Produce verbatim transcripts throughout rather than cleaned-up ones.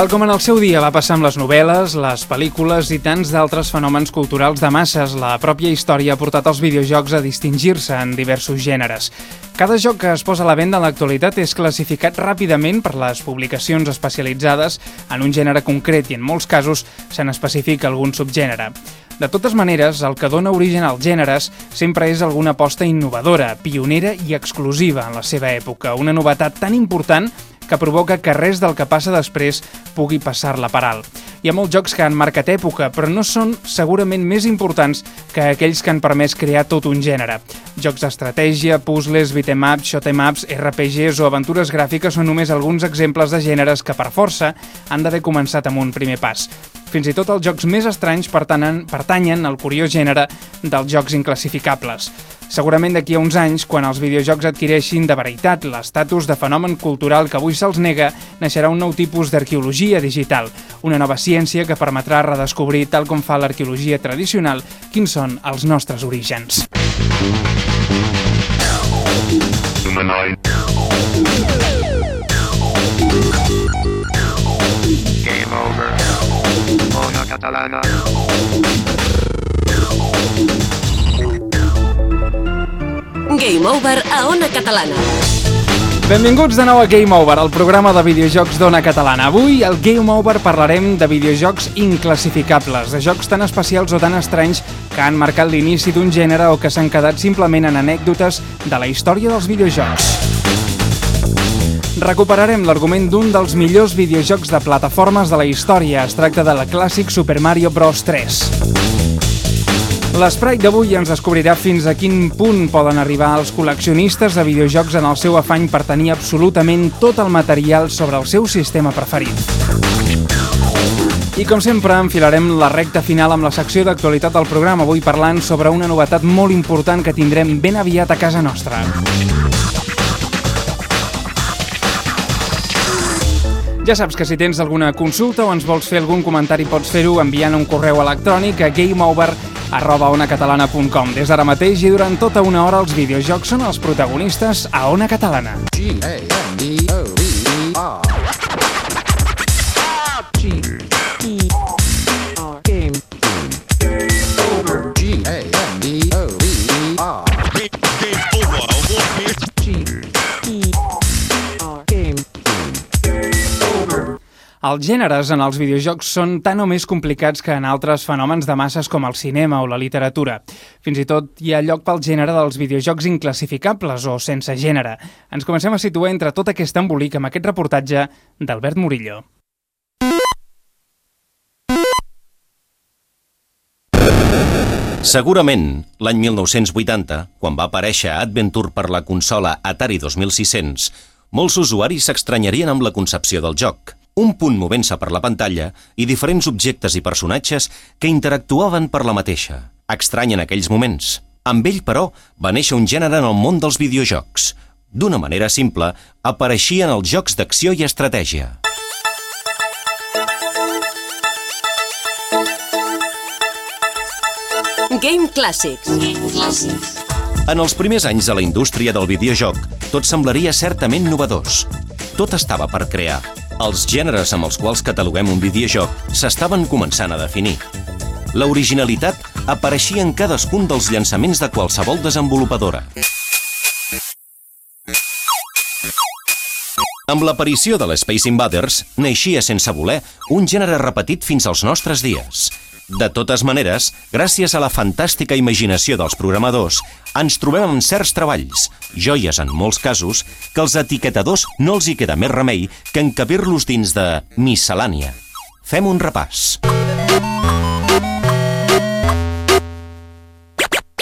Tal com en el seu dia va passar amb les novel·les, les pel·lícules i tants d'altres fenòmens culturals de masses, la pròpia història ha portat els videojocs a distingir-se en diversos gèneres. Cada joc que es posa a la venda en l'actualitat és classificat ràpidament per les publicacions especialitzades en un gènere concret i en molts casos se n'especifica algun subgènere. De totes maneres, el que dona origen als gèneres sempre és alguna aposta innovadora, pionera i exclusiva en la seva època, una novetat tan important que provoca que res del que passa després pugui passar-la per alt. Hi ha molts jocs que han marcat època, però no són segurament més importants que aquells que han permès crear tot un gènere. Jocs d'estratègia, puzzles, beat'em ups, shoot'em ups, R P Gs o aventures gràfiques són només alguns exemples de gèneres que, per força, han d'haver començat amb un primer pas. Fins i tot els jocs més estranys pertanyen, pertanyen al curiós gènere dels jocs inclassificables. Segurament d'aquí a uns anys, quan els videojocs adquireixin de veritat l'estatus de fenomen cultural que avui se'ls nega, naixerà un nou tipus d'arqueologia digital, una nova ciència que permetrà redescobrir, tal com fa l'arqueologia tradicional, quins són els nostres orígens. Game over. Ona Catalana. Game Over a Ona Catalana. Benvinguts de nou a Game Over, el programa de videojocs d'Ona Catalana. Avui, al Game Over, parlarem de videojocs inclassificables, de jocs tan especials o tan estranys que han marcat l'inici d'un gènere o que s'han quedat simplement en anècdotes de la història dels videojocs. Recuperarem l'argument d'un dels millors videojocs de plataformes de la història. Es tracta de la clàssic Super Mario Bros. tres. L'esprite d'avui ens descobrirà fins a quin punt poden arribar els col·leccionistes de videojocs en el seu afany per tenir absolutament tot el material sobre el seu sistema preferit. I com sempre, enfilarem la recta final amb la secció d'actualitat del programa, avui parlant sobre una novetat molt important que tindrem ben aviat a casa nostra. Ja saps que si tens alguna consulta o ens vols fer algun comentari pots fer-ho enviant un correu electrònic a gameover arroba onacatalana punt com. Des d'ara mateix i durant tota una hora els videojocs són els protagonistes a Ona Catalana. G A M E O V E R G E R Game Over G A M E O V E R Game Over G E R Game Els gèneres en els videojocs són tan o més complicats que en altres fenòmens de masses com el cinema o la literatura. Fins i tot hi ha lloc pel gènere dels videojocs inclassificables o sense gènere. Ens comencem a situar entre tot aquest embolic amb aquest reportatge d'Albert Murillo. Segurament, l'any mil nou-cents vuitanta, quan va aparèixer Adventure per la consola Atari dos mil sis-cents, molts usuaris s'estranyarien amb la concepció del joc. Un punt movent-se per la pantalla i diferents objectes i personatges que interactuaven per la mateixa. Estrany en aquells moments. Amb ell, però, va néixer un gènere en el món dels videojocs. D'una manera simple, apareixien els jocs d'acció i estratègia. Game Classics. Game Classics. En els primers anys de la indústria del videojoc, tot semblaria certament novedós. Tot estava per crear. Els gèneres amb els quals cataloguem un videojoc s'estaven començant a definir. L'originalitat apareixia en cadascun dels llançaments de qualsevol desenvolupadora. Amb l'aparició de l'Space Invaders, naixia sense voler un gènere repetit fins als nostres dies. De totes maneres, gràcies a la fantàstica imaginació dels programadors, ens trobem amb certs treballs, joies en molts casos, que als etiquetadors no els hi queda més remei que encabir-los dins de miscel·lània. Fem un repàs.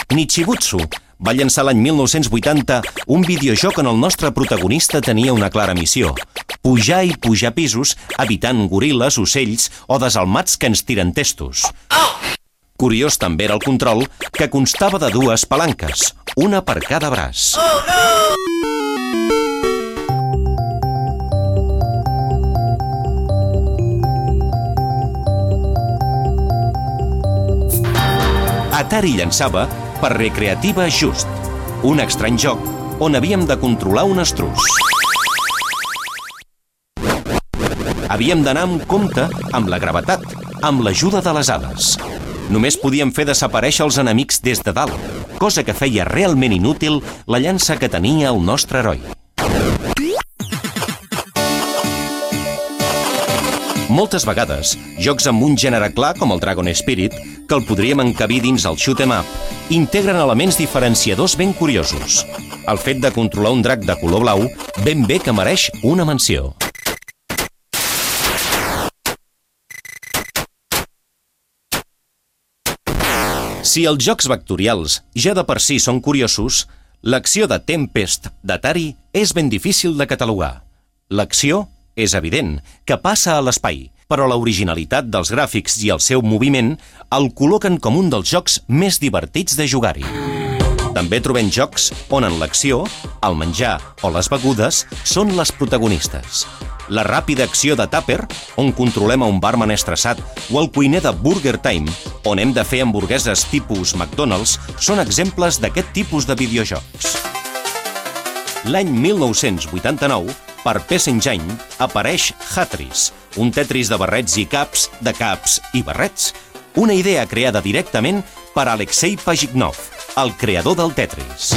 Nichibutsu va llançar l'any mil nou-cents vuitanta un videojoc on el nostre protagonista tenia una clara missió: pujar i pujar pisos, evitant goril·les, ocells o desalmats que ens tiren testos. Curiós també era el control, que constava de dues palanques, una per cada braç. Atari llançava per Recreativa Just, un estrany joc on havíem de controlar un estruç. Havíem d'anar amb compte amb la gravetat, amb l'ajuda de les ales. Només podíem fer desaparèixer els enemics des de dalt, cosa que feia realment inútil la llança que tenia el nostre heroi. Moltes vegades, jocs amb un gènere clar com el Dragon Spirit, que el podríem encabir dins el shoot 'em up, integren elements diferenciadors ben curiosos. El fet de controlar un drac de color blau ben bé que mereix una menció. Si els jocs vectorials ja de per si són curiosos, l'acció de Tempest d'Atari és ben difícil de catalogar. L'acció és evident, que passa a l'espai, però l'originalitat dels gràfics i el seu moviment el col·loquen com un dels jocs més divertits de jugar-hi. També trobem jocs on en l'acció, el menjar o les begudes són les protagonistes. La ràpida acció de Tupper, on controlem a un barman estressat, o el cuiner de Burger Time, on hem de fer hamburgueses tipus McDonald's, són exemples d'aquest tipus de videojocs. L'any mil nou-cents vuitanta-nou, per P S Engine, apareix Hatris, un Tetris de barrets i caps, de caps i barrets, una idea creada directament per Alexei Pajitnov, el creador del Tetris.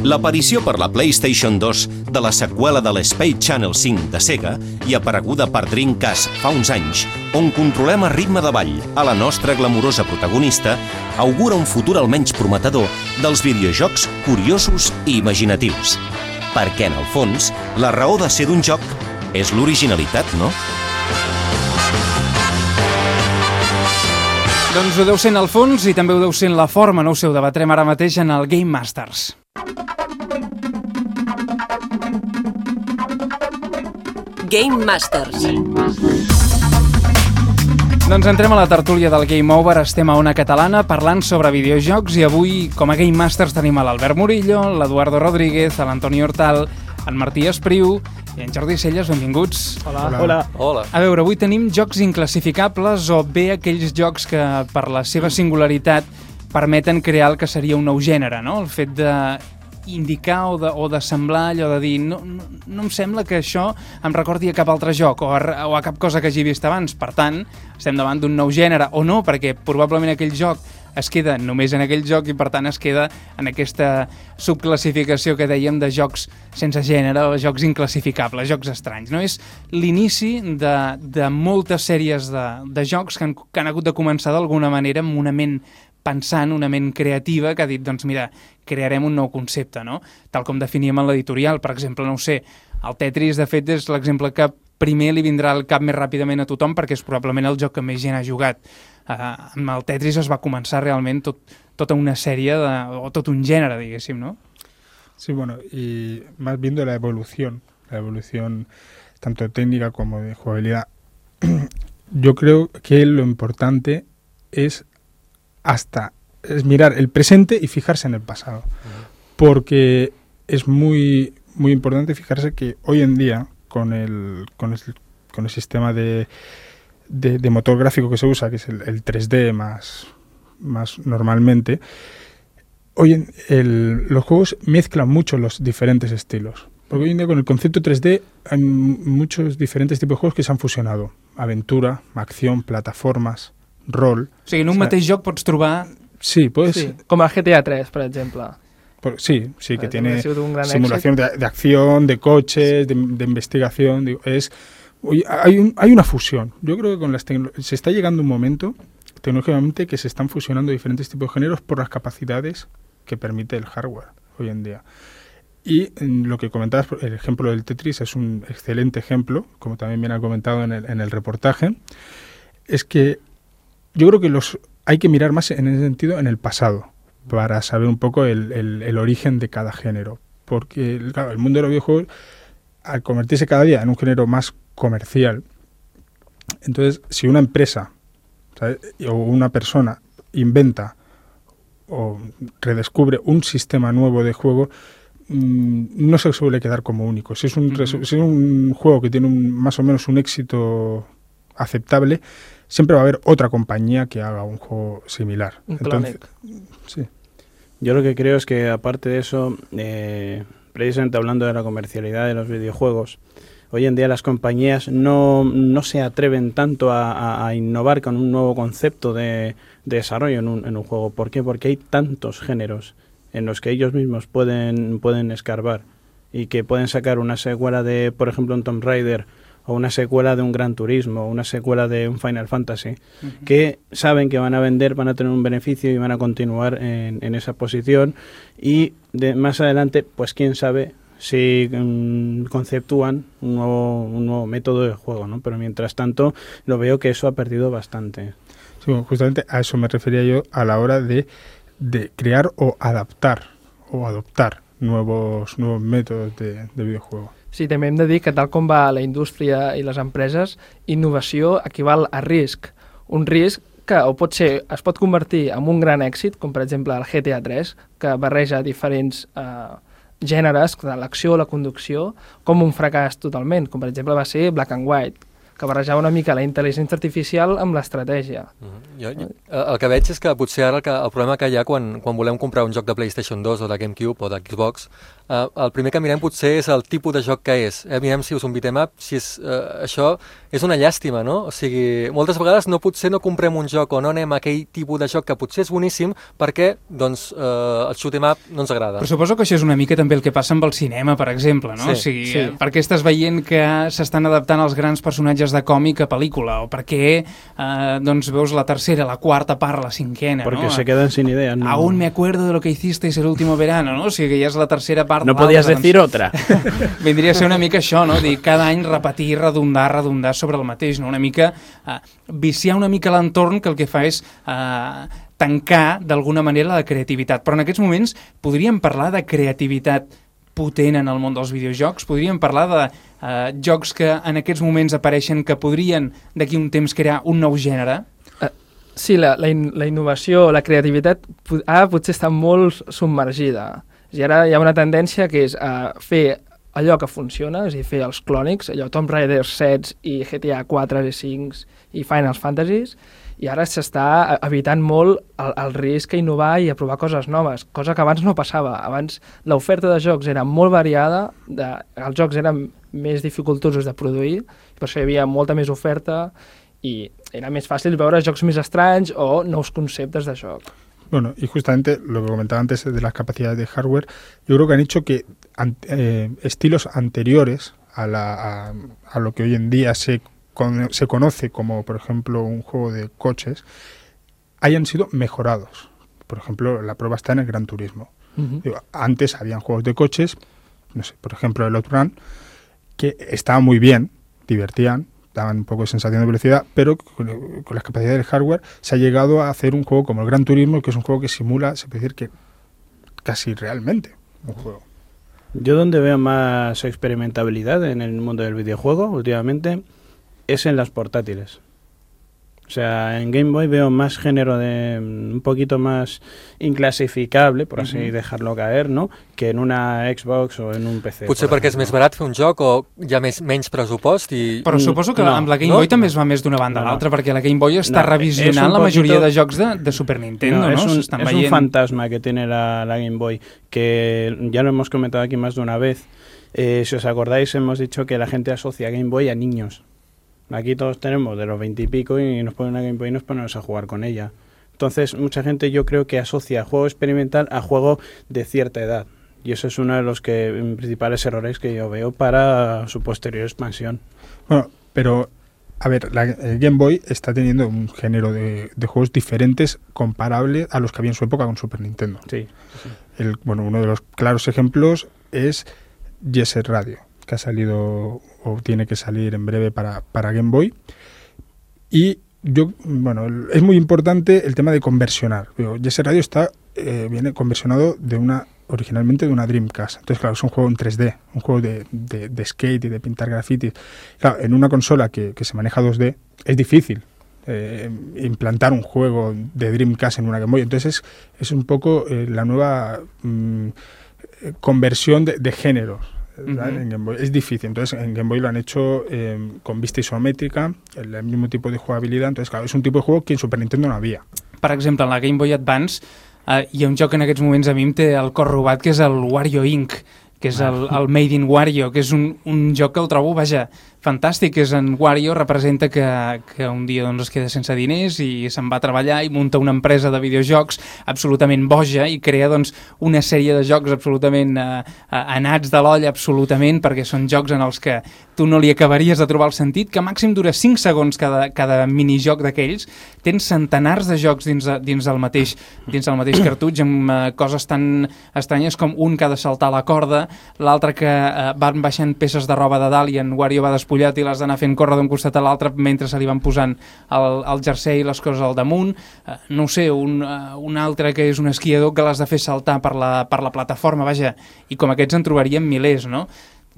L'aparició per la PlayStation dos de la seqüela de l'Space Channel cinc de Sega i apareguda per Dreamcast fa uns anys, on controlem a ritme de ball a la nostra glamurosa protagonista, augura un futur almenys prometedor dels videojocs curiosos i imaginatius. Perquè, en el fons, la raó de ser d'un joc és l'originalitat, no? Doncs ho deu ser en el fons i també ho deu ser en la forma, no ho sé, ho debatrem ara mateix en el Game Masters. Game Masters. Doncs entrem a la tertúlia del Game Over, estem a Ona Catalana parlant sobre videojocs i avui com a Game Masters tenim a l'Albert Murillo, l'Eduardo Rodríguez, l'Antoni Hortal, en Martí Espriu i en Jordi Celles, benvinguts. Hola. Hola. Hola. A veure, avui tenim jocs inclassificables o bé aquells jocs que per la seva singularitat permeten crear el que seria un nou gènere, no? El fet de indicar o de, o de semblar allò de dir no, no, no em sembla que això em recordi a cap altre joc o a, o a cap cosa que hagi vist abans. Per tant, estem davant d'un nou gènere o no, perquè probablement aquell joc es queda només en aquell joc i per tant es queda en aquesta subclassificació que dèiem de jocs sense gènere o jocs inclassificables, jocs estranys. No? És l'inici de, de moltes sèries de, de jocs que han, que han hagut de començar d'alguna manera amb una ment pensant, una ment creativa que ha dit, doncs mira, crearem un nou concepte, no? Tal com definíem en l'editorial, per exemple, no ho sé, el Tetris, de fet, és l'exemple que primer li vindrà al cap més ràpidament a tothom perquè és probablement el joc que més gent ha jugat. Uh, amb el Tetris es va començar realment tot, tota una sèrie, de, o tot un gènere, diguéssim, ¿no? Sí, bueno, y más viendo la evolución, la evolución tanto técnica como de jugabilidad, yo creo que lo importante es hasta es mirar el presente y fijarse en el pasado, porque es muy muy importante fijarse que hoy en día con el con el, con el sistema de, de, de motor gráfico que se usa, que es el, el tres D más más normalmente, hoy en el, los juegos mezclan mucho los diferentes estilos, porque hoy en día con el concepto tres D hay muchos diferentes tipos de juegos que se han fusionado: aventura, acción, plataformas, rol. O sigui, en un o sea, mateix joc pots trobar... Sí, pues... Sí, com el G T A tres, per exemple. Por, sí, sí, que tiene simulación de, de acción, de coches, de, de investigación. Digo, es, oye, hay, un, hay una fusión. Yo creo que con las se está llegando un momento, tecnológicamente, que se están fusionando diferentes tipos de géneros por las capacidades que permite el hardware hoy en día. Y en lo que comentabas, el ejemplo del Tetris es un excelente ejemplo, como también bien ha comentado en el, en el reportaje, es que yo creo que los hay que mirar más en ese sentido en el pasado para saber un poco el, el, el origen de cada género, porque claro, el mundo de los videojuegos, al convertirse cada día en un género más comercial, entonces si una empresa, ¿sabes?, o una persona inventa o redescubre un sistema nuevo de juego, mmm, no se suele quedar como único. Si es un, uh-huh. si es un juego que tiene un, más o menos un éxito aceptable, siempre va a haber otra compañía que haga un juego similar. Un Entonces, sí. Yo lo que creo es que, aparte de eso, eh, precisamente hablando de la comercialidad de los videojuegos, hoy en día las compañías no, no se atreven tanto a, a, a innovar con un nuevo concepto de, de desarrollo en un, en un juego. ¿Por qué? Porque hay tantos géneros en los que ellos mismos pueden, pueden escarbar y que pueden sacar una secuela de, por ejemplo, un Tomb Raider, o una secuela de un Gran Turismo, o una secuela de un Final Fantasy, uh-huh. que saben que van a vender, van a tener un beneficio y van a continuar en, en esa posición, y de más adelante, pues quién sabe si um, conceptúan un nuevo, un nuevo método de juego, ¿no? Pero mientras tanto lo veo que eso ha perdido bastante. Sí, bueno, justamente a eso me refería yo a la hora de, de crear o adaptar o adoptar nuevos, nuevos métodos de, de videojuego. Sí, també hem de dir que tal com va la indústria i les empreses, innovació equival a risc. Un risc que o pot ser, es pot convertir en un gran èxit, com per exemple el G T A tres, que barreja diferents eh, gèneres, de l'acció, la conducció, com un fracàs totalment, com per exemple va ser Black and White, que barrejava una mica la intel·ligència artificial amb l'estratègia. Mm-hmm. jo, jo, el que veig és que potser ara el, que, el problema que hi ha quan, quan volem comprar un joc de PlayStation dos o de GameCube o de Xbox, eh, el primer que mirem potser és el tipus de joc que és. Eh, mirem si és un beat'em up, si és, eh, això és una llàstima, no? O sigui, moltes vegades no potser no comprem un joc o no anem a aquell tipus de joc que potser és boníssim perquè doncs, eh, el shoot'em up no ens agrada. Però suposo que això és una mica també el que passa amb el cinema, per exemple, no? Sí, o sigui, sí. perquè estàs veient que s'estan adaptant els grans personatges de còmic a pel·lícula, o perquè eh, doncs veus la tercera, la quarta part, la cinquena, Porque no? se quedan sin ideas, ¿no? Aún me acuerdo de lo que hicisteis el último verano, no? O sigui que ja és la tercera part. No podías decir doncs, otra. Vindria a ser una mica això, no? Dir, cada any repetir, redundar, redundar sobre el mateix, no? Una mica eh, viciar una mica l'entorn, que el que fa és eh, tancar d'alguna manera la creativitat. Però en aquests moments podríem parlar de creativitat potent en el món dels videojocs? Podríem parlar de eh, jocs que en aquests moments apareixen que podrien d'aquí un temps crear un nou gènere? Uh, sí, la, la, in, la innovació, la creativitat ara potser està molt submergida. I ara hi ha una tendència que és uh, fer allò que funciona, és a dir, fer els clònics, allò Tomb Raider set i G T A quatre i cinc i Final Fantasies, i ara s'està evitant molt el, el risc a innovar i a provar coses noves, cosa que abans no passava. Abans l'oferta de jocs era molt variada, de, els jocs eren més dificultosos de produir, per això hi havia molta més oferta i era més fàcil veure jocs més estranys o nous conceptes de joc. Bueno, y justamente lo que comentaba antes de las capacidades de hardware, yo creo que han hecho que an, eh, estilos anteriores a, la, a, a lo que hoy en día se, con, se conoce como, por ejemplo, un juego de coches, hayan sido mejorados. Por ejemplo, la prueba está en el Gran Turismo. Uh-huh. Digo, antes habían juegos de coches, no sé, por ejemplo, el Outrun, que estaban muy bien, divertían, daban un poco de sensación de velocidad, pero con, con las capacidades del hardware se ha llegado a hacer un juego como el Gran Turismo, que es un juego que simula, se puede decir que casi realmente un juego. Yo donde veo más experimentabilidad en el mundo del videojuego últimamente es en las portátiles. O sea, en Game Boy veo más género de un poquito más inclasificable, por así uh-huh. dejarlo caer, ¿no? Que en una Xbox o en un P C. Potser perquè és més barat fer un joc o hi ha més, menys pressupost i... Però suposo que no, amb la Game Boy no? també es va més d'una banda a no, l'altra, perquè la Game Boy està no, revisionant la majoria poquito... de jocs de, de Super Nintendo, ¿no? no? Es, un, es veient... un fantasma que tiene la, la Game Boy, que ya lo hemos comentado aquí más de una vez. Eh, si os acordáis, hemos dicho que la gente asocia Game Boy a niños. Aquí todos tenemos de los veinte y pico y nos ponen una Game Boy y nos ponemos a jugar con ella. Entonces, mucha gente yo creo que asocia juego experimental a juego de cierta edad. Y eso es uno de los que, principales errores que yo veo para su posterior expansión. Bueno, pero, a ver, la, el Game Boy está teniendo un género de, de juegos diferentes comparable a los que había en su época con Super Nintendo. Sí. sí. El, bueno, uno de los claros ejemplos es Jet Set Radio, que ha salido o tiene que salir en breve para, para Game Boy. Y yo, bueno, es muy importante el tema de conversionar. Jet Set Radio está, eh, viene conversionado de una, originalmente de una Dreamcast. Entonces, claro, es un juego en tres D, un juego de, de, de skate y de pintar grafitis. Claro, en una consola que, que se maneja dos D es difícil eh, implantar un juego de Dreamcast en una Game Boy. Entonces, es, es un poco eh, la nueva mm, conversión de, de géneros. Uh-huh. En Game Boy es difícil, entonces en Game Boy lo han hecho eh, con vista isométrica, el, el mismo tipo de jugabilidad, entonces claro, es un tipo de juego que en Super Nintendo no havia. Per exemple, en la Game Boy Advance eh, hi ha un joc que en aquests moments a mi em té el cor robat, que és el Wario Incorporated, que és el, el Made in Wario, que és un, un joc que el trobo, vaja, fantàstic. És en Wario, representa que, que un dia doncs, es queda sense diners i se'n va a treballar i munta una empresa de videojocs absolutament boja i crea doncs, una sèrie de jocs absolutament eh, anats de l'olla, absolutament, perquè són jocs en els que tu no li acabaries de trobar el sentit, que màxim dura cinc segons cada, cada minijoc d'aquells. Tens centenars de jocs dins, de, dins, del mateix, dins del mateix cartutx, amb eh, coses tan estranyes com un que ha de saltar la corda, l'altre que eh, van baixant peces de roba de dalt i en Wario va despullat i l'has d'anar fent córrer d'un costat a l'altre mentre se li van posant el, el jersei i les coses al damunt. Eh, no sé, un, uh, un altre que és un esquiador que l'has de fer saltar per la, per la plataforma, vaja, i com aquests en trobaríem milers, no?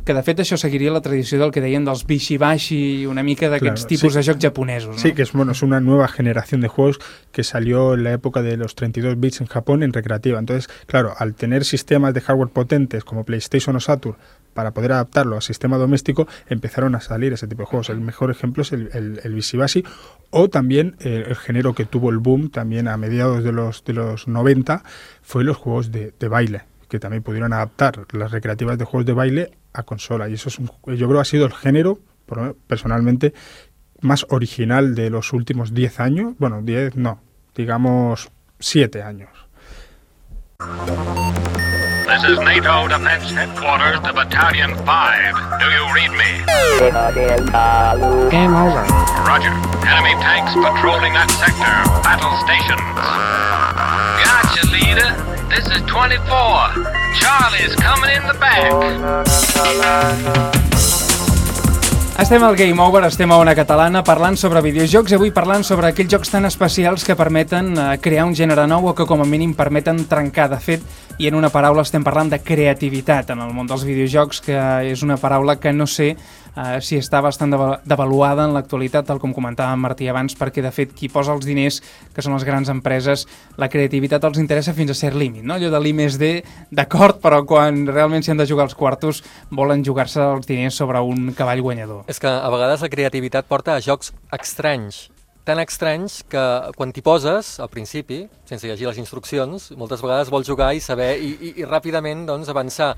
Que de fet això seguiria la tradició del que deien dels bishi-bashi i una mica d'aquests claro, tipus sí. de jocs japonesos, ¿no? Sí, que es, bueno, es una nueva generación de juegos que salió en la época de los treinta y dos bits en Japón en recreativa. Entonces, claro, al tener sistemas de hardware potentes como PlayStation o Saturn para poder adaptarlo al sistema doméstico, empezaron a salir ese tipo de juegos. El mejor ejemplo es el, el, el bishi-bashi o también el, el género que tuvo el boom también a mediados de los, de los noventa fue los juegos de, de baile, que también pudieron adaptar las recreativas de juegos de baile a consola, y eso es un, yo creo que ha sido el género, personalmente, más original de los últimos diez años, bueno, diez no, digamos siete años. This is NATO Defense Headquarters to Battalion five. Do you read me? Game over. Roger. Enemy tanks patrolling that sector. Battle stations. Gotcha, leader. This is twenty-four. Charlie's coming in the back. Estem al Game Over, estem a Ona Catalana parlant sobre videojocs i avui parlant sobre aquells jocs tan especials que permeten eh, crear un gènere nou o que com a mínim permeten trencar. De fet, i en una paraula estem parlant de creativitat en el món dels videojocs, que és una paraula que no sé eh, si està bastant devaluada en l'actualitat, tal com comentava Martí abans, perquè de fet qui posa els diners, que són les grans empreses, la creativitat els interessa fins a cert límit, no? Allò de l'I més D, d'acord, però quan realment s'hi han de jugar els quartos volen jugar-se els diners sobre un cavall guanyador. És que a vegades la creativitat porta a jocs estranys, tan estranys que quan t'hi poses, al principi, sense llegir les instruccions, moltes vegades vols jugar i saber i, i, i ràpidament doncs, avançar.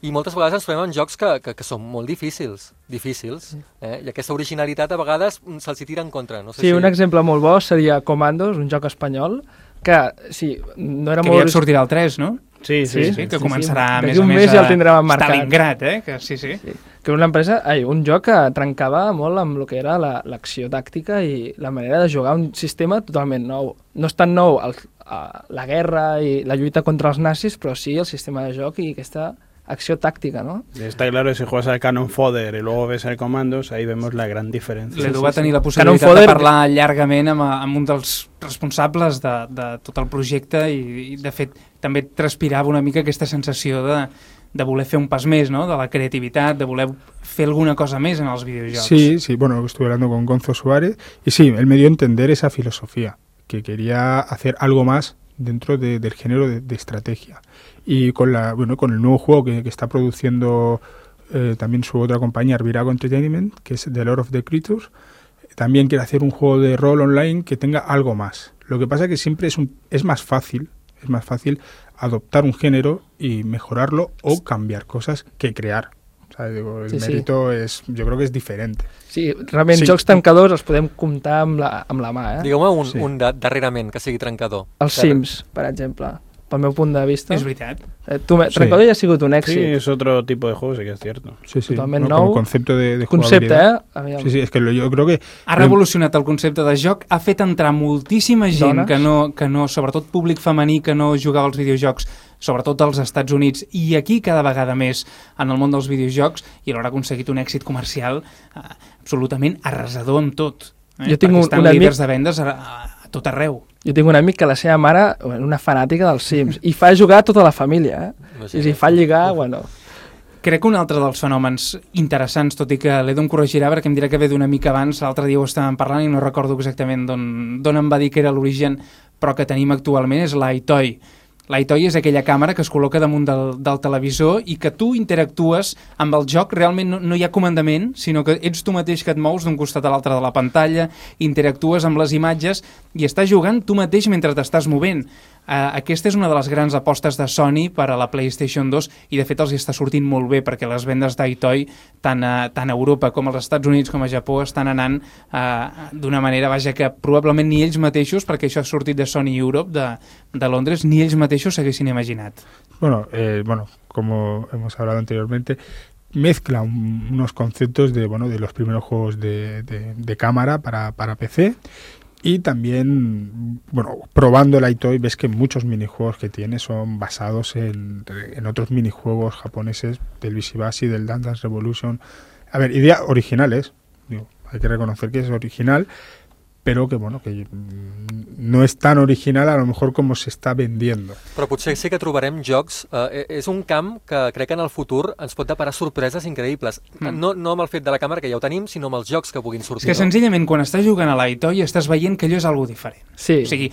I moltes vegades ens trobem en jocs que, que, que són molt difícils, difícils, eh? I aquesta originalitat a vegades se'ls hi tira en contra. No sé sí, si... un exemple molt bo seria Commandos, un joc espanyol, que sí, no era que molt... Que ja sortirà el tres, no? Sí, sí, sí, sí, que sí, començarà sí, més o més més ja a el tindrem emmarcat. Stalingrad, eh? Que, sí, sí. sí. Que una empresa, ai, un joc que trencava molt amb el que era l'acció tàctica i la manera de jugar un sistema totalment nou. No és tan nou el, la guerra i la lluita contra els nazis, però sí el sistema de joc i aquesta acció táctica, ¿no? Está claro, si juegas al Cannon Fodder y luego ves el Commandos, ahí vemos la gran diferència. L'Edu va tenir la possibilitat Fodder... de parlar llargament amb, amb un dels responsables de, de tot el projecte i, i, de fet, també transpirava una mica aquesta sensació de, de voler fer un pas més, ¿no? De la creativitat, de voler fer alguna cosa més en els videojocs. Sí, sí, bueno, estuve hablando con Gonzo Suárez y sí, él me dio a entender esa filosofía, que quería hacer algo más dentro de, del género de, de estrategia. Y con la bueno con el nuevo juego que, que está produciendo eh, también su otra compañía, Arvirago Entertainment, que es The Lord of the Creatures, también quiere hacer un juego de rol online que tenga algo más. Lo que pasa es que siempre es, un, es más fácil, es más fácil adoptar un género y mejorarlo o cambiar cosas que crear. O sea, digo, el sí, mérito sí. és, jo crec que és diferent. Sí, realment sí. Jocs trencadors els podem comptar amb la, amb la mà. Eh? Digueu-me un, sí. un de, darrerament que sigui trencador. Els que... Sims, per exemple. Pel meu punt de vista. És veritat. Eh, tu, sí. Trencador ja ha sigut un èxit. Sí, és otro tipo de juego, sí que es cierto. Sí, sí. Totalment no, nou. Com concepte de, de concepte, jugabilitat. Eh? Sí, sí, és que jo crec que... Ha revolucionat el concepte de joc, ha fet entrar moltíssima gent que no, que no, sobretot públic femení que no jugava als videojocs, sobretot als Estats Units i aquí cada vegada més en el món dels videojocs, i alhora ha aconseguit un èxit comercial eh, absolutament arrasador en tot. Eh? Jo tinc Perquè un, estan un líders amic... de vendes a, a tot arreu. Jo tinc un amic que la seva mare és una fanàtica dels Sims i fa jugar tota la família, eh? No sé, I si fa lligar, bueno... Crec que un altre dels fenòmens interessants, tot i que l'Edu em corregirà perquè em dirà que ve d'una mica abans, l'altre dia ho estàvem parlant i no recordo exactament d'on em va dir que era l'origen, però que tenim actualment és l'iToy, L'iToy és aquella càmera que es col·loca damunt del, del televisor i que tu interactues amb el joc, realment no, no hi ha comandament, sinó que ets tu mateix que et mous d'un costat a l'altre de la pantalla, interactues amb les imatges i estàs jugant tu mateix mentre t'estàs movent. Uh, aquesta és una de les grans apostes de Sony per a la PlayStation dos i de fet els està sortint molt bé perquè les vendes d'iToy tant a, tant a Europa com als Estats Units com a Japó estan anant uh, d'una manera, vaja, que probablement ni ells mateixos, perquè això ha sortit de Sony Europe, de, de Londres, ni ells mateixos s'haguessin imaginat. Bueno, eh, bueno, como hemos hablado anteriormente, mezcla un, unos conceptos de, bueno, de los primeros juegos de, de, de cámara para, para P C. Y también, bueno, probando el iToy ves que muchos minijuegos que tiene son basados en, en otros minijuegos japoneses del Bishibashi, del Dance Dance Revolution. A ver, ideas originales, digo, hay que reconocer que es original, però que, bueno, que no és tan original a lo mejor com se està vendiendo. Però potser sí que trobarem jocs... Eh, és un camp que crec que en el futur ens pot deparar sorpreses increïbles. Mm. No, no amb el fet de la càmera, que ja ho tenim, sinó amb els jocs que puguin sortir. És que no? Senzillament quan estàs jugant a l'iToy estàs veient que allò és algo diferent. Sí. O sigui,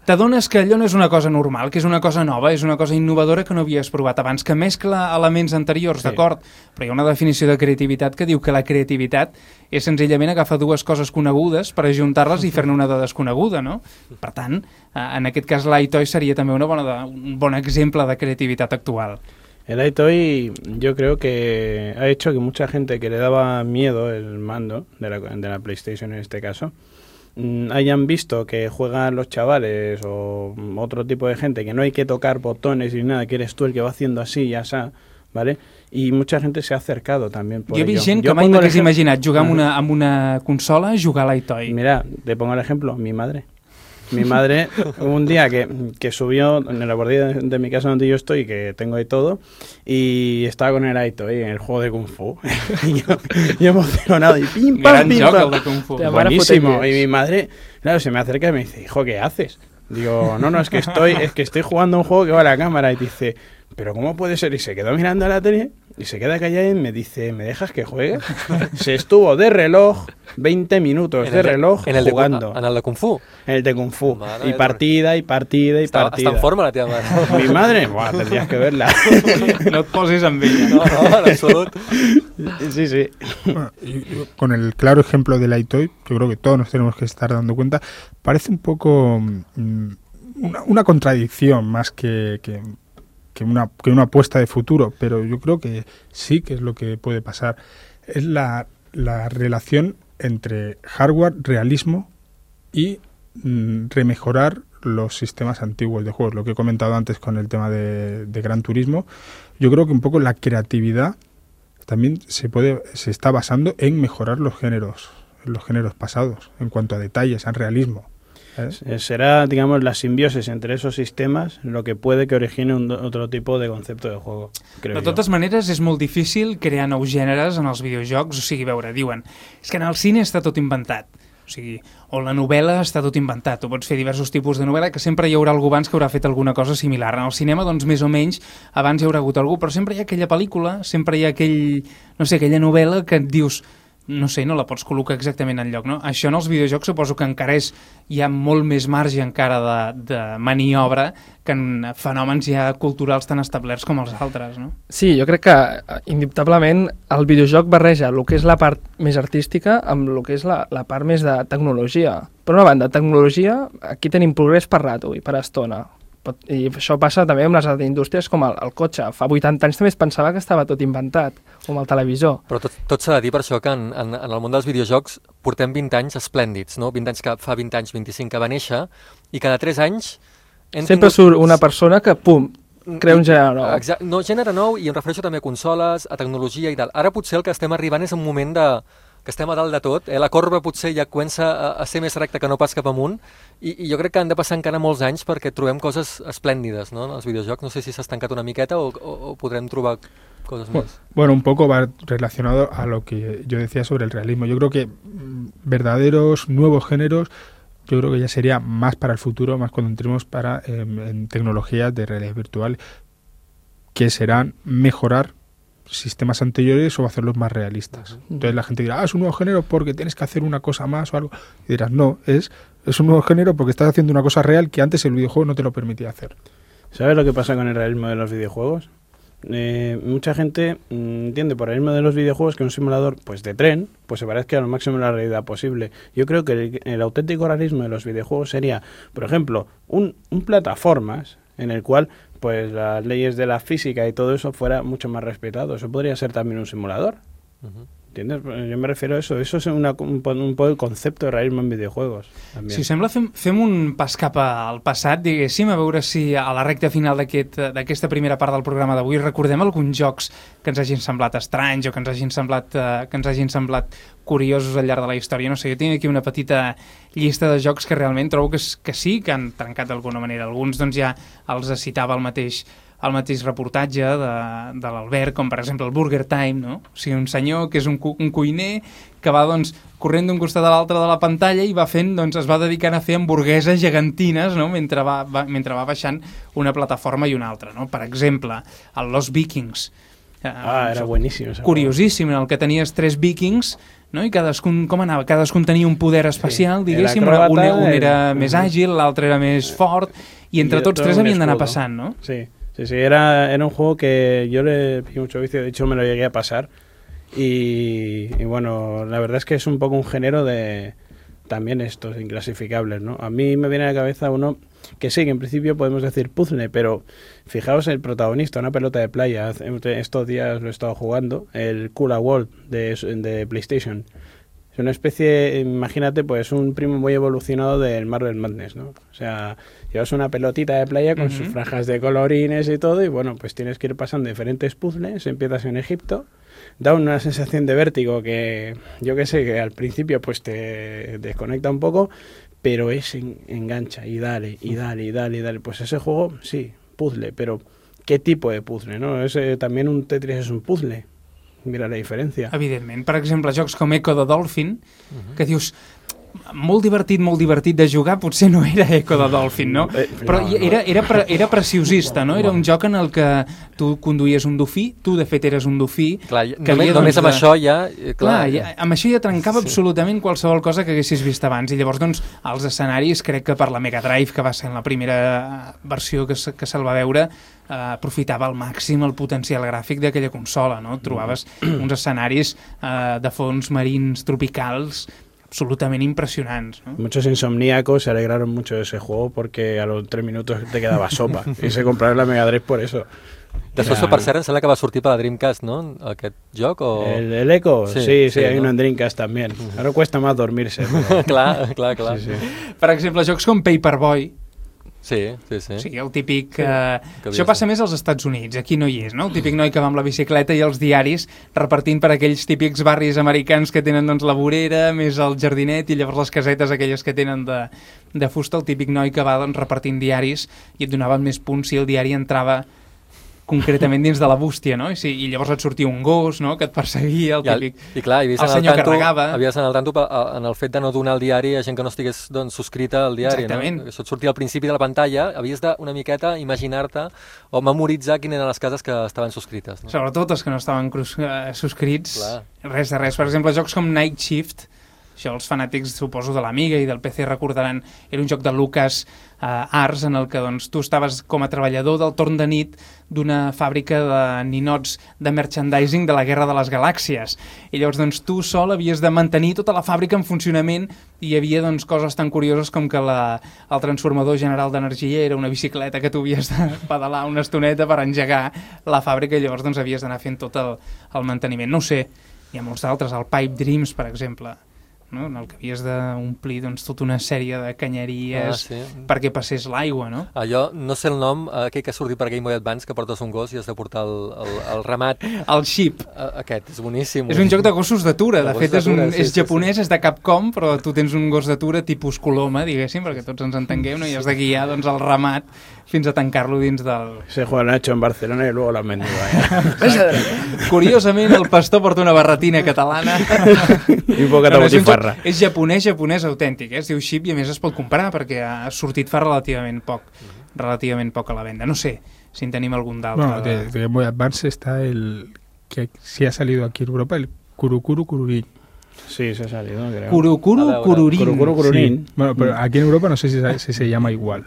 t'adones que allò no és una cosa normal, que és una cosa nova, és una cosa innovadora que no havies provat abans, que mescla elements anteriors, sí. D'acord? Però hi ha una definició de creativitat que diu que la creativitat és senzillament agafar dues coses conegudes per ajuntar-les i fer-ne una de desconeguda, no? Per tant, en aquest cas l'iToy seria també una bona de, un bon exemple de creativitat actual. El iToy yo creo que ha hecho que mucha gente que le daba miedo el mando de la, de la PlayStation en este caso, mmm, hayan visto que juegan los chavales o otro tipo de gente que no hay que tocar botones ni nada, que eres tú el que va haciendo así y así, ¿vale? Y mucha gente se ha acercado también por jo he ello. vist gent que mai m'hagués imaginat jugar amb una, amb una consola, jugar a l'iToy. Mira, te pongo el ejemplo, mi madre. Mi madre, un día que, que subió en la bordilla de, de mi casa donde yo estoy, que tengo ahí todo, y estaba con el iToy en el juego de Kung Fu. y yo, yo emocionado, y pim, pam, Gran pim, joc, pam. el de Kung Fu. Buenísimo. Y mi madre, claro, se me acerca y me dice, hijo, ¿qué haces? Digo, no, no, es que estoy, es que estoy jugando a un juego que va a la cámara. Y dice, ¿pero cómo puede ser? Y se quedó mirando a la tele y se queda callada y me dice, ¿me dejas que juegue? Se estuvo de reloj veinte minutos de reloj en el jugando. De, en el de Kung Fu. En el de Kung Fu. Madre y partida, y partida, y está, partida. Està en forma la teva mare. Mi madre, buah, tendrías que verla. No et posis amb ella. No, no, en absolut. Sí, sí. Bueno, y, y con el claro ejemplo del iToy, yo creo que todos nos tenemos que estar dando cuenta, parece un poco mmm, una, una contradicción más que, que, que, una, que una apuesta de futuro, pero yo creo que sí que es lo que puede pasar. Es la, la relación entre hardware, realismo y mmm, remejorar los sistemas antiguos de juegos. Lo que he comentado antes con el tema de, de Gran Turismo, yo creo que un poco la creatividad también se puede se está basando en mejorar los géneros, los géneros pasados, en cuanto a detalles, en realismo. ¿Eh? Será, digamos, la simbiosis entre esos sistemes lo que puede que origine un otro tipo de concepte de juego, creo De totes jo. maneres, és molt difícil crear nous gèneres en els videojocs. O sigui, veure, diuen, és que en el cine està tot inventat. O sigui, o la novel·la està tot inventat. Tu pots fer diversos tipus de novel·la, que sempre hi haurà algú abans que haurà fet alguna cosa similar. En el cinema, doncs, més o menys, abans hi haurà hagut algú, però sempre hi ha aquella pel·lícula, sempre hi ha aquell, no sé, aquella novel·la que et dius, no sé, no la pots col·locar exactament en lloc, no? Això en els videojocs suposo que encara és, hi ha molt més marge encara de, de maniobra que en fenòmens ja culturals tan establerts com els altres, no? Sí, jo crec que indubtablement el videojoc barreja el que és la part més artística amb el que és la, la part més de tecnologia. Per una banda, tecnologia, aquí tenim progrés per rato i per estona. I això passa també amb les indústries com el, el cotxe. Fa vuitanta anys també es pensava que estava tot inventat, com el televisor. Però tot, tot s'ha de dir per això que en, en, en el món dels videojocs portem vint anys esplèndids, no? vint anys que fa vint anys, vint-i-cinc que va néixer, i cada tres anys... Sempre tingut... surt una persona que, pum, crea un gènere nou. Exacte, no, gènere nou, i em refereixo també a consoles, a tecnologia i tal. Ara potser el que estem arribant és un moment de... que estem a dalt de tot, eh? La corba potser ja comença a, a ser més recta que no pas cap amunt, i, i jo crec que han de passar encara molts anys perquè trobem coses esplèndides, ¿no? En els videojocs. No sé si s'ha estancat una miqueta o, o, o podrem trobar cosas más. Bueno, un poco va relacionado a lo que yo decía sobre el realismo. Yo creo que verdaderos nuevos géneros, yo creo que ya sería más para el futuro, más cuando entremos para eh, en tecnologías de realidad virtual, que serán mejorar sistemas anteriores o hacerlos más realistas. Entonces la gente dirá, ah, es un nuevo género porque tienes que hacer una cosa más o algo. Y dirás, no, es, es un nuevo género porque estás haciendo una cosa real que antes el videojuego no te lo permitía hacer. ¿Sabes lo que pasa con el realismo de los videojuegos? Eh, mucha gente mm, entiende por el realismo de los videojuegos que un simulador pues de tren pues se parezca a lo máximo a la realidad posible. Yo creo que el, el auténtico realismo de los videojuegos sería, por ejemplo, un, un plataformas en el cual pues las leyes de la física y todo eso fuera mucho más respetado. Eso podría ser también un simulador. Uh-huh. ¿Entiendes? Yo me refiero a eso. Eso es una, un, un poc el concepte de realisme en videojuegos. També. Si us sembla, fem, fem un pas cap al passat, diguéssim, a veure si a la recta final d'aquesta aquest, primera part del programa d'avui recordem alguns jocs que ens hagin semblat estranys o que ens hagin semblat, uh, que ens hagin semblat curiosos al llarg de la història. No sé, jo tinc aquí una petita llista de jocs que realment trobo que, que sí, que han trencat d'alguna manera. Alguns doncs ja els citava el mateix el mateix reportatge de, de l'Albert, com per exemple el Burger Time, no? O sigui, un senyor que és un, cu un cuiner que va doncs, corrent d'un costat a l'altre de la pantalla i va fent, doncs, es va dedicant a fer hamburgueses gegantines, no? mentre, va, va, mentre va baixant una plataforma i una altra. No? Per exemple, el Los Vikings. Ah, era bueníssim. Curiosíssim, en el que tenies tres vikings, no? I cadascun, com anava? Cadascun tenia un poder especial, sí. Diguéssim, un, un era el... més àgil, l'altre era més fort, i entre I tots tres havien d'anar passant, no? Sí. Sí, sí, era, era un juego que yo le pillé mucho vicio, de hecho me lo llegué a pasar y, y bueno, la verdad es que es un poco un género de también estos inclasificables, ¿no? A mí me viene a la cabeza uno que sí, que en principio podemos decir puzzle, pero fijaos el protagonista, una pelota de playa, estos días lo he estado jugando, el Kula World de, de PlayStation. Es una especie, imagínate, pues un primo muy evolucionado del Marvel Madness, ¿no? O sea, llevas una pelotita de playa con uh-huh. sus franjas de colorines y todo, y bueno, pues tienes que ir pasando diferentes puzzles, empiezas en Egipto, da una sensación de vértigo que, yo que sé, que al principio pues te desconecta un poco, pero es en, engancha, y dale, y dale, y dale, y dale. Pues ese juego, sí, puzzle, pero ¿qué tipo de puzzle, no? Ese, también un Tetris es un puzzle. Mira la diferència. Evidentment. Per exemple, jocs com Echo the Dolphin, uh-huh. que dius, molt divertit, molt divertit de jugar, potser no era Echo the Dolphin, no? Però era, era, pre, era preciosista, no? Era un joc en el que tu conduïes un dofí, tu de fet eres un dofí... Clar, que només, havia, només doncs, amb això ja... Clar, clar ja, amb això ja trencava sí. absolutament qualsevol cosa que haguessis vist abans, i llavors, doncs, els escenaris, crec que per la Mega Drive, que va ser la primera versió que, que se'l va veure, Uh, aprofitava al màxim el potencial gràfic d'aquella consola, no? Trobaves uns escenaris uh, de fons marins tropicals absolutament impresionants, ¿no? Muchos insomníacos se alegraron mucho de ese juego porque a los tres minutos te quedaba sopa y se compraron la Mega Drive por eso. Després, ja, per cert, em sembla que va sortir per la Dreamcast, ¿no? Aquest joc, o... El, el Echo? Sí, sí, sí, sí, hay ¿no? uno en Dreamcast también. Uh-huh. Ahora cuesta más dormirse. Pero... clar, clar, clar. Sí, sí. Per exemple, jocs com Paperboy, Sí, sí, sí. Sí, el típic... Sí, uh, això passa més als Estats Units, aquí no hi és, no? El típic noi que va amb la bicicleta i els diaris repartint per aquells típics barris americans que tenen doncs la vorera, més el jardinet i llavors les casetes aquelles que tenen de, de fusta, el típic noi que va doncs, repartint diaris i et donaven més punts si el diari entrava concretament dins de la bústia, no? I, sí, i llavors et sortia un gos, no?, que et perseguia, el típic... I, i clar, i el senyor tanto, que regava. Havies d'anar al tanto en el fet de no donar el diari a gent que no estigués doncs, subscrita al diari. Exactament. No? Això et sortia al principi de la pantalla, havies d'una miqueta imaginar-te o memoritzar quines eren les cases que estaven subscrites. No? Sobretot els que no estaven uh, subscrits, clar. Res de res. Per exemple, jocs com Night Shift, això els fanàtics, suposo, de l'Amiga i del P C recordaran, era un joc de Lucas uh, Arts en el que doncs, tu estaves com a treballador del torn de nit d'una fàbrica de ninots de merchandising de la Guerra de les Galàxies. I llavors doncs, tu sol havies de mantenir tota la fàbrica en funcionament i hi havia doncs, coses tan curioses com que la, el transformador general d'energia era una bicicleta que tu havies de pedalar una estoneta per engegar la fàbrica i llavors doncs, havies d'anar fent tot el, el manteniment. No ho sé, hi ha molts d'altres, el Pipe Dreams, per exemple, no? En el que havies d'omplir doncs, tota una sèrie de canyeries ah, sí. perquè passés l'aigua, no? Allò, no sé el nom, aquell que ha sortit per Game Boy Advance, que portes un gos i has de portar el, el, el ramat. El Sheep. Aquest, és boníssim. És un joc de gossos d'atura, de, de fet és, un, sí, és sí, japonès, sí. És de Capcom, però tu tens un gos d'atura tipus Coloma, diguéssim, perquè tots ens entenguem, no? I has de guiar doncs, el ramat fins a tancar-lo dins del... Se juega Nacho en Barcelona i luego l'han vendido. Curiosament, el pastor porta una barretina catalana. I un poc de botifarra. És japonès, japonès autèntic, eh? Es diu Ship i a més es pot comprar perquè ha sortit fa relativament poc, relativament poc a la venda. No sé si en tenim algun d'altre. Bueno, de, de Game Boy Advance está el que sí ha salido aquí en Europa, el Kurukuru Kururin. Sí, se ha salido, creo. Kurukuru Kururin. Kurukuru Kururin. Sí. Bueno, pero aquí en Europa no sé si, si se llama igual.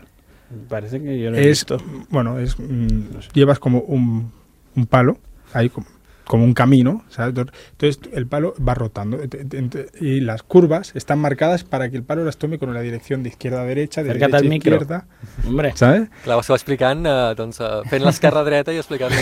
Parece que yo lo he es, visto. Bueno, es, mm, no sé. Llevas como un, un palo, ahí como, como un camino, ¿sabes? Entonces el palo va rotando y las curvas están marcadas para que el palo las tome con la dirección de izquierda a derecha, de Cerca't derecha a izquierda. Hombre. ¿Sabes? Clar, ho estava explicant, eh, doncs, eh, fent l'esquerra dreta i explicant...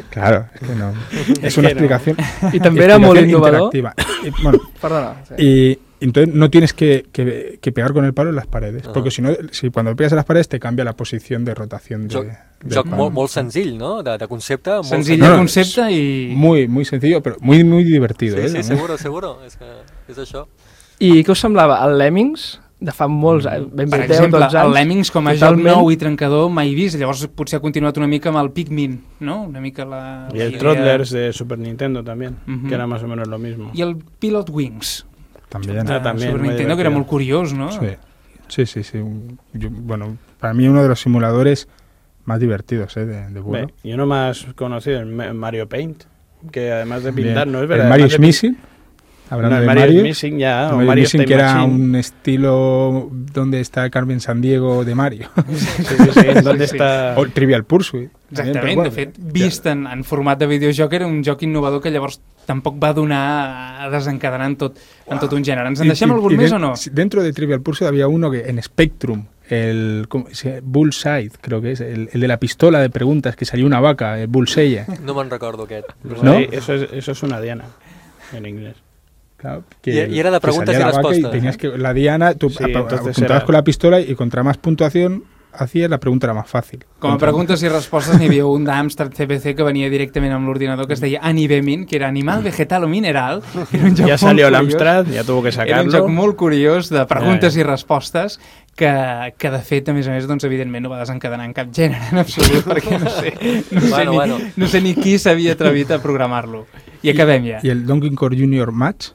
Claro, es que no. Es una explicación. Y también era muy innovador. Y, bueno, Perdona. Sí. Y entonces no tienes que, que, que pegar con el palo en las paredes, Ah. porque si no, si cuando pegas en las paredes te cambia la posición de rotación de, Joc, del joc palo. molt, molt senzill, no? De, de concepte. Molt Senzill No, de no, concepte i... Muy, muy sencillo, pero muy, muy divertido. Sí, ¿eh? sí, seguro, seguro. És que és això. I què us semblava? El Lemmings, de fa molts anys, ben Per bé deu, exemple, dotze anys, el Lemmings com a totalment... joc nou i trencador mai vist, llavors potser ha continuat una mica amb el Pikmin, no? Una mica la... Y el la idea- Toddlers de Super Nintendo también, Ujú. que era más o menos lo mismo. I el Pilot Wings, También. Ah, de también, Super muy Nintendo, que era divertido. molt curiós, no? Sí, sí, sí. sí. Yo- bueno, para mí uno de los simuladores más divertidos ¿eh? de, de vuelo. Ve, y uno más conocido, el Ma- Mario Paint, que además de Bien. pintar, no es El verdad. Mario además is de pin- Missing. Hablando No, el de Mario, Mario, is Missing ya, el o Mario Mario Missing, Time que era Machine. un estilo donde está Carmen Sandiego de Mario. Sí, sí, sí, ¿dónde Sí. está? O Trivial Pursuit. También, Exactament, però bueno, de fet, vist en, en format de videojoc era un joc innovador que llavors tampoc va donar a desencadenar en tot, en tot un gènere. Ens en Y- deixem y- algun y més de- o no? sí, Dentro de Trivial Pursuit había uno que en Spectrum, el ¿cómo se llama? Bullseye, creo que es, el, el de la pistola de preguntas, que salió una vaca, el Bullseye. No me'n recordo aquest. Pues ¿No? ahí, eso, es, eso es una diana en inglés. Claro, Y- y era de que preguntas salía y la vaca respuestas, tenías ¿eh? que, la diana, tú Sí, ap- entonces apuntabas era- con la pistola y contra más puntuación hacías, la pregunta era más fácil. Com a Contra- preguntes i respostes n'hi havia un d'Amstrad C P C que venia directament amb l'ordinador que es deia Animemin, que era Animal, Vegetal o Mineral. Que era un joc Ya molt salió el curiós. Amstrad, ya tuvo que Era un sacarlo. joc molt curiós de preguntes Ja, ja. i respostes que, que de fet, a més a més, doncs, evidentment no va desencadenar en cap gènere en absolut, perquè no sé, no sé, Bueno, ni, bueno. no sé ni qui s'havia atrevit a programar-lo. I acabem ja. Y el Donkey Kong Junior Match,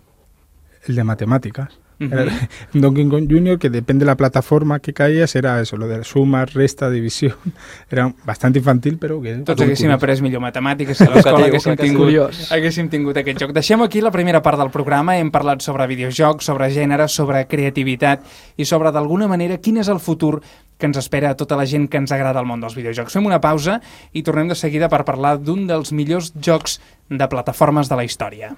el de matemáticas. Ujú. Era un Donkey Kong Junior que depende de la plataforma que caías, era eso, lo de suma, resta, división. Era bastante infantil, però que... Tots muy haguéssim curioso. après millor matemàtiques si a l'escola haguéssim Educatiu, tingut, curiós. haguéssim tingut aquest joc. Deixem aquí la primera part del programa. Hem parlat sobre videojocs, sobre gènere, sobre creativitat i sobre, d'alguna manera, quin és el futur que ens espera a tota la gent que ens agrada el món dels videojocs. Fem una pausa i tornem de seguida per parlar d'un dels millors jocs de plataformes de la història.